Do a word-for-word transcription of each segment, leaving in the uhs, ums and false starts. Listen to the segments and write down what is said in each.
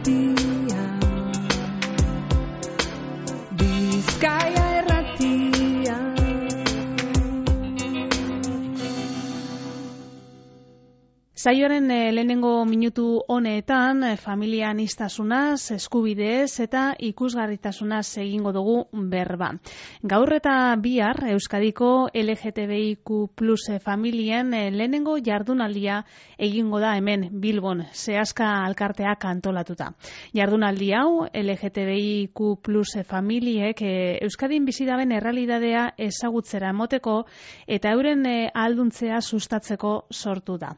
irratia, Bizkaia irratia. Saioaren eh, lehenengo minutu honetan eh, familia aniztasunaz, eskubideez eta ikusgarritasunaz egingo dugu berba. Gaur eta bihar Euskadiko L G T B I Q plus familien eh, lehenengo jardunaldia egingo da hemen Bilbon, Seaska alkarteak antolatuta. Jardunaldi hau L G T B I Q plus familiek eh, Euskadin bizidaben errealitatea ezagutzera emoteko eta euren eh, ahalduntzea sustatzeko sortu da.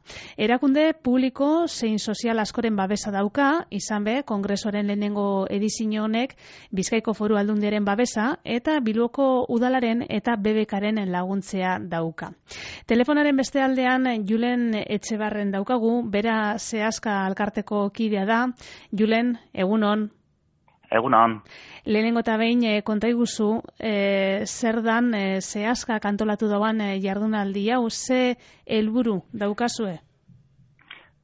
Erakunde publiko zein sozial askoren babesa dauka, izan be, kongresoaren lehenengo edizio honek Bizkaiko Foru Aldundiaren babesa eta Bilboko Udalaren eta B B Karen laguntzea dauka. Telefonaren beste aldean Julen Etxebarren daukagu, bera Seaska alkarteko kidea da. Julen, egunon. Egunon. Lehenengo eta behin e, konta iguzu, e, zer dan e, Seaska kantolatu dauan e, jardunaldi hau, ze helburu daukazue?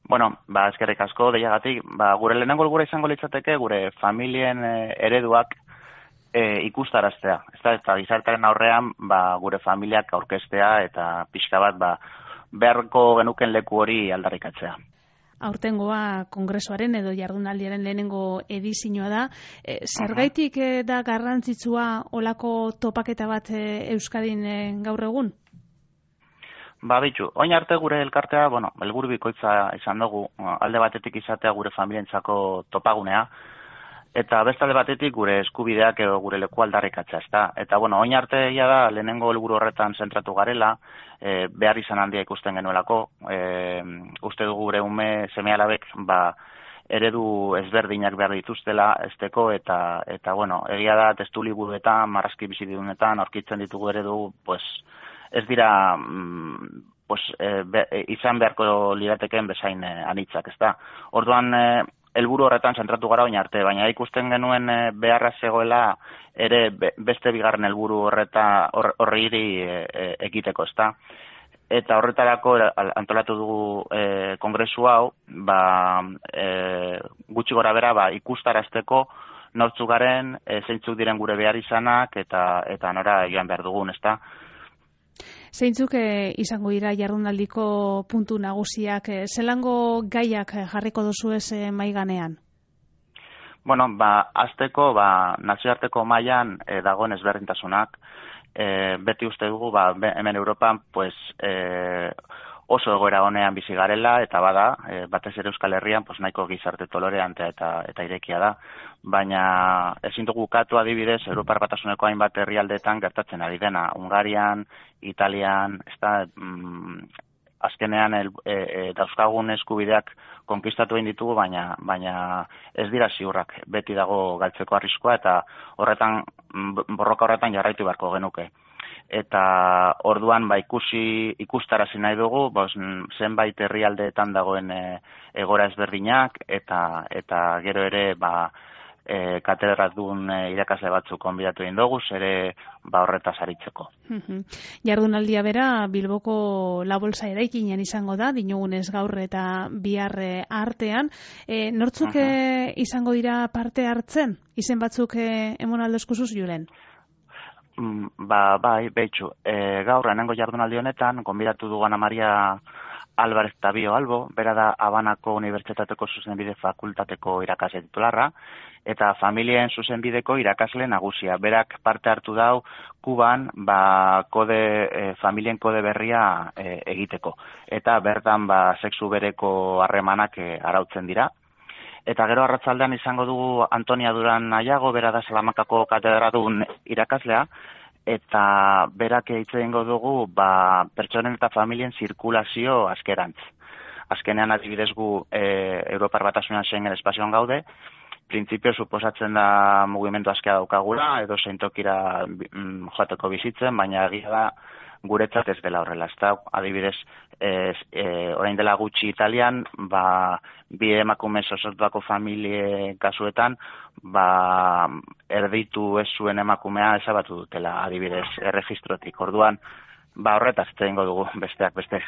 Bueno, ba, eskerrik asko deiagatik, ba, gure lehenengo helburua izango litzateke gure familien e, ereduak e, ikustaraztea. Ez da, eta gizartearen aurrean ba, gure familiak aurkeztea eta pixka bat ba, beharko genuken leku hori aldarrikatzea. Aurtengoa kongresoaren edo jardunaldiaren lehenengo edizioa da. E, zergaitik e, da garrantzitsua olako topaketa bat e, Euskadin e, gaur egun? Ba, bitxu, oin arte gure elkartea, bueno, helburu bikoitza izan dugu, alde batetik izatea gure familientzako topagunea, eta beste alde batetik gure eskubideak edo gure leku aldarrikatzea, ezta. Eta, bueno, oin arte egia da, lehenengo helburu horretan zentratu garela, e, behar izan handia ikusten genuelako, e, uste dugu gure ume seme-alabek, ba, eredu ezberdinak behar dituztela esteko, eta, eta bueno, egia da, testu liburuetan, marrazki bizidunetan, aurkitzen ditugu eredu, pues, ez dira pues, e, be, e, izan beharko liratekeen bezain e, anitzak, ezta. Orduan, e, helburu horretan zentratu gara oin arte, baina ikusten genuen e, beharra zegoela ere be, beste bigarren helburu horreta horri e, e, egiteko, ezta. Eta horretarako antolatu dugu e, kongresu hau, ba, e, gutxi gora bera ba, ikustarazteko nortzuk garen, e, zeintzuk diren gure behar izanak eta, eta nora joan behar dugun, ezta. Zeintzuk eh, izango dira jardunaldiko puntu nagusiak, eh, zelango gaiak jarriko duzu ez eh, maiganean? Bueno, ba, azteko, ba, nazioarteko mailan eh, dagoen ezberdintasunak, eh, beti uste dugu, ba, hemen Europan, pues, eh, oso egoera honean bizi garela, eta bada, e, batez ere Euskal Herrian, pues, nahiko gizarte tolerantea eta, eta irekia da. Baina ezin dugu ukatu adibidez, Europar Batasuneko hainbat herrialdeetan gertatzen ari dena. Hungarian, Italian, ez da, mm, azkenean el, e, e, dauzkagun eskubideak konkistatu egin ditugu, baina, baina ez dira ziurrak, beti dago galtzeko arriskoa, eta horretan, borroka horretan jarraitu beharko genuke. Eta orduan ba ikusi ikustarazi nahi dugu, bos, zenbait herrialdeetan dagoen e, egora ezberdinak eta eta gero ere ba e, katedradun e, irakasle batzuk gonbidatu egin dugu, ere ba horretaz aritzeko. Jardunaldia bera Bilboko La Bolsa eraikinean izango da, dinogunez gaur eta bihar artean. E, nortzuk e, izango dira parte hartzen? Izen batzuk e, emon aldozkusuz, Julen? Ba, bai, behitxu, e, gaur enengo jardunaldi honetan, gonbidatu dugu Ana Maria Álvarez Tabio Albo, bera da Habanako Unibertsitateko Zuzenbide Fakultateko irakasle titularra, eta familien zuzenbideko irakasle nagusia. Berak parte hartu dau Kuban, ba, kode, e, familien kode berria e, egiteko. Eta bertan, ba, sexu bereko harremanak e, arautzen dira. Eta gero arratzaldean izango dugu Antonia Duran Aiago, bera da Salamakako katedradun irakaslea, eta berak hitz egingo dugu ba, pertsonen eta familien zirkulazio askerantz. Azkenean adibidez gu e, Europar Batasunean Schengen espazioan gaude, printzipio suposatzen da mugimendu askea daukagula, edo zeintokira mm, joateko bizitzen, baina egia da guretzat ez dela horrela. Ez da, adibidez, ez, e, orain dela gutxi Italian, ba, bi emakume osortuako familie kasuetan, ba, erditu ez zuen emakumea ezabatu dutela, adibidez, erregistrotik. Orduan, ba, horretaz egingo dugu besteak beste.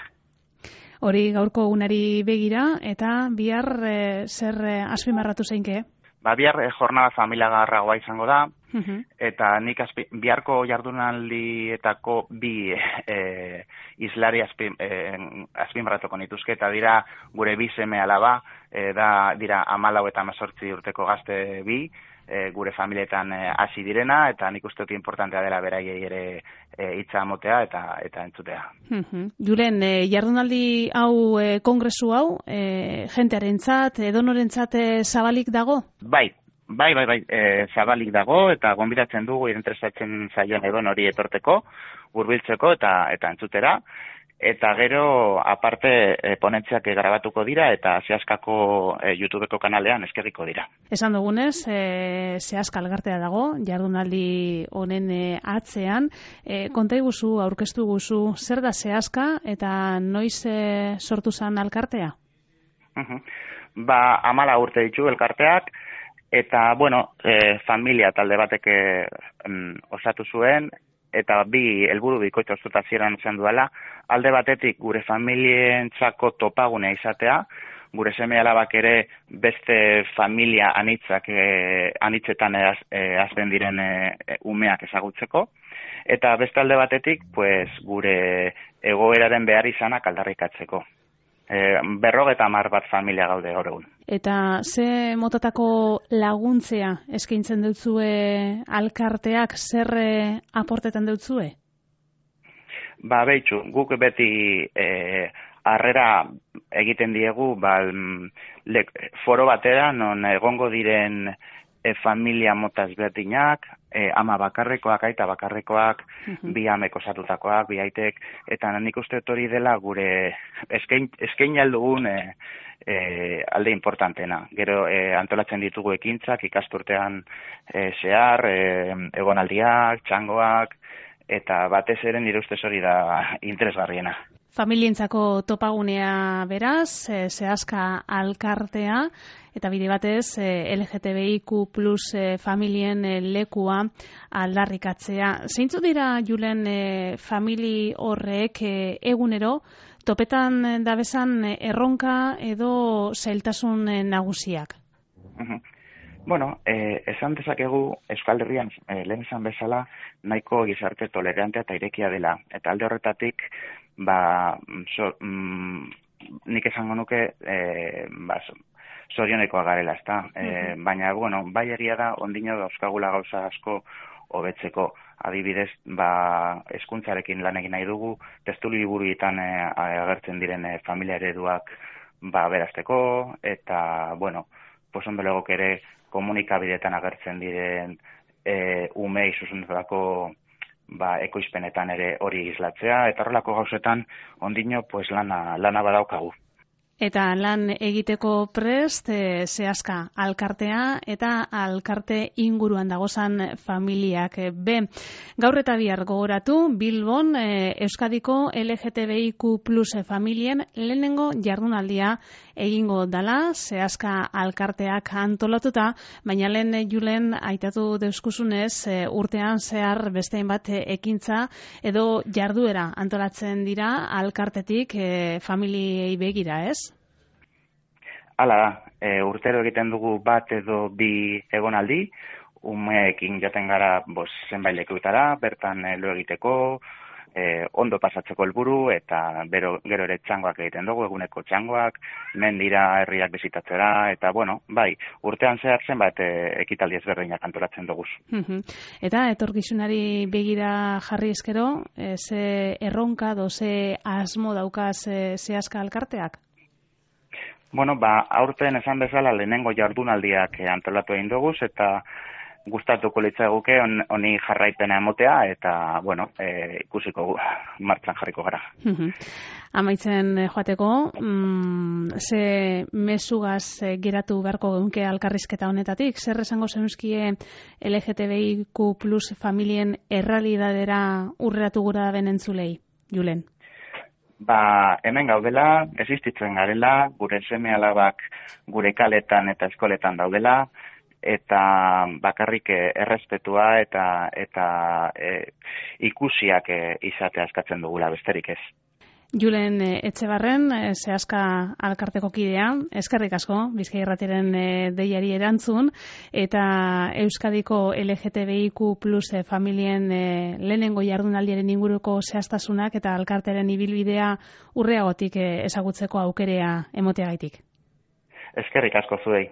Hori gaurko egunari begira, eta bihar e, zer e, azpimarratu zeinke? Ba, bihar e, jornada familiagarragoa izango da, uh-huh. eta nik azpi, biharko jardunaldietako bi e, islari azpi, e, azpimarratuko nituzke, eta dira gure bi seme alaba, e, da, dira hamalau eta hemezortzi urteko gazte bi, e, gure familietan hasi e, direna, eta nik uste dut importantea dela beraiei ere e, hitza motea eta eta entzutea. Uh-huh. Julen, e, jardunaldi hau, e, kongresu hau, e, jentearentzat, edonorentzat e, zabalik dago? Bai, bai, bai, bai, e, zabalik dago, eta gonbidatzen dugu interesatzen zaion edon hori etorteko, hurbiltzeko eta eta entzutera. Eta gero, aparte, e, ponentziak grabatuko dira eta Zehaskako e, YouTubeko kanalean eskerriko dira. Esan dugunez, e, Zehaska elkartea dago, jardunaldi honen e, atzean. E, konta iguzu, aurkeztu guzu, zer da Zehaska eta noiz e, sortu zen elkartea? Uh-huh. Ba, amala urte ditu elkarteak, eta, bueno, e, familia talde batek e, osatu zuen, eta bi helburu bikoitz ostuta zieran zen duela, alde batetik gure familientzako topagunea izatea, gure seme alabak ere beste familia anitzak e, anitzetan az, e, azten diren e, umeak ezagutzeko, eta beste alde batetik pues, gure egoeraren behar izanak aldarrikatzeko. E, berrogeta hamar bat familia gaude gaur egun. Eta ze motatako laguntzea eskaintzen dutzue alkarteak, zer e, aportetan dutzue? Ba, behitxu, guk beti e, harrera egiten diegu ba, le, foro batera, non egongo diren e, familia motaz berdinak, e, ama bakarrekoak, aita bakarrekoak, uh-huh. bi amek osatutakoak, bi aitek, eta nik uste hori dela gure eskain, eskain aldugun e, e, alde importantena. Gero e, antolatzen ditugu ekintzak, ikasturtean e, zehar, e, egonaldiak, txangoak, eta batez ere nire ustez hori da interesgarriena. Familientzako topagunea beraz, e, Zehaska alkartea, eta bide batez e, L G T B I Q plus e, familien e, lekua aldarrikatzea. Zeintzu dira, Julen, e, famili horrek e, egunero, topetan dabezan e, erronka edo zailtasun e, nagusiak? Uh-huh. Bueno, eh, esan dezakegu Euskal Herrian eh, lehen esan bezala nahiko gizarte tolerantea eta irekia dela. Eta alde horretatik, ba, so, mm, nik esango nuke eh, ba, zorionekoa garela, ezta. Eh, baina, bueno, bai egia da, ondino dauzkagula gauza asko hobetzeko. Adibidez, ba, hezkuntzarekin lan egin nahi dugu, testu liburuetan eh, agertzen diren eh, familia ereduak ba, berazteko, eta, bueno, pues ondo legok ere komunikabideetan agertzen diren e, umei zuzendutako ba, ekoizpenetan ere hori islatzea, eta horrelako gauzetan ondino pues, lana, lana badaukagu. Eta lan egiteko prest, e, Zehaska alkartea eta alkarte inguruan dagozan familiak. Be, gaur eta bihar gogoratu, Bilbon e, Euskadiko L G T B I Q plus familien lehenengo jardunaldia egingo dala, Zehaska alkarteak antolatuta, baina lehen Julen aitatu deuskuzunez, e, urtean zehar bestein bat e, ekintza edo jarduera antolatzen dira alkartetik e, familiei begira, ez? Hala da, e, urtero egiten dugu bat edo bi egonaldi, umeekin jaten gara bos, zenbait lekuetara, bertan e, lo egiteko, e, ondo pasatzeko helburu eta bero, gero ere txangoak egiten dugu, eguneko txangoak, mendira herriak bizitatzera, eta bueno, bai, urtean zehar zenbat e, ekitaldi ezberdinak antolatzen dugu. Eta etorkizunari begira jarri eskero, e, ze erronka do ze asmo daukaz e, Zehaska alkarteak? Bueno, ba, aurten esan bezala lehenengo jardunaldiak antolatu egin dugu, eta gustatuko litzaiguke honi jarraipena emotea, eta, bueno, e, ikusiko martxan jarriko gara. Amaitzen joateko, mm, ze mezugaz geratu beharko geunke alkarrizketa honetatik? Zer esango zeuzkie L G T B I Q plus familien errealidadera urreratu gura ben entzulei, Julen? Ba, hemen gaudela, existitzen garela, gure seme alabak gure kaletan eta eskoletan daudela, eta bakarrik errespetua eta eta e, ikusiak e, izatea eskatzen dugula, besterik ez. Julen Etxebarren, Seaska alkarteko kidea, eskerrik asko, Bizkaia Irratiaren deiari erantzun, eta Euskadiko L G T B I Q plus familien lehenengo jardunaldiaren inguruko zehaztasunak eta alkartearen ibilbidea urreagotik ezagutzeko aukerea emoteagaitik. Eskerrik asko zuei.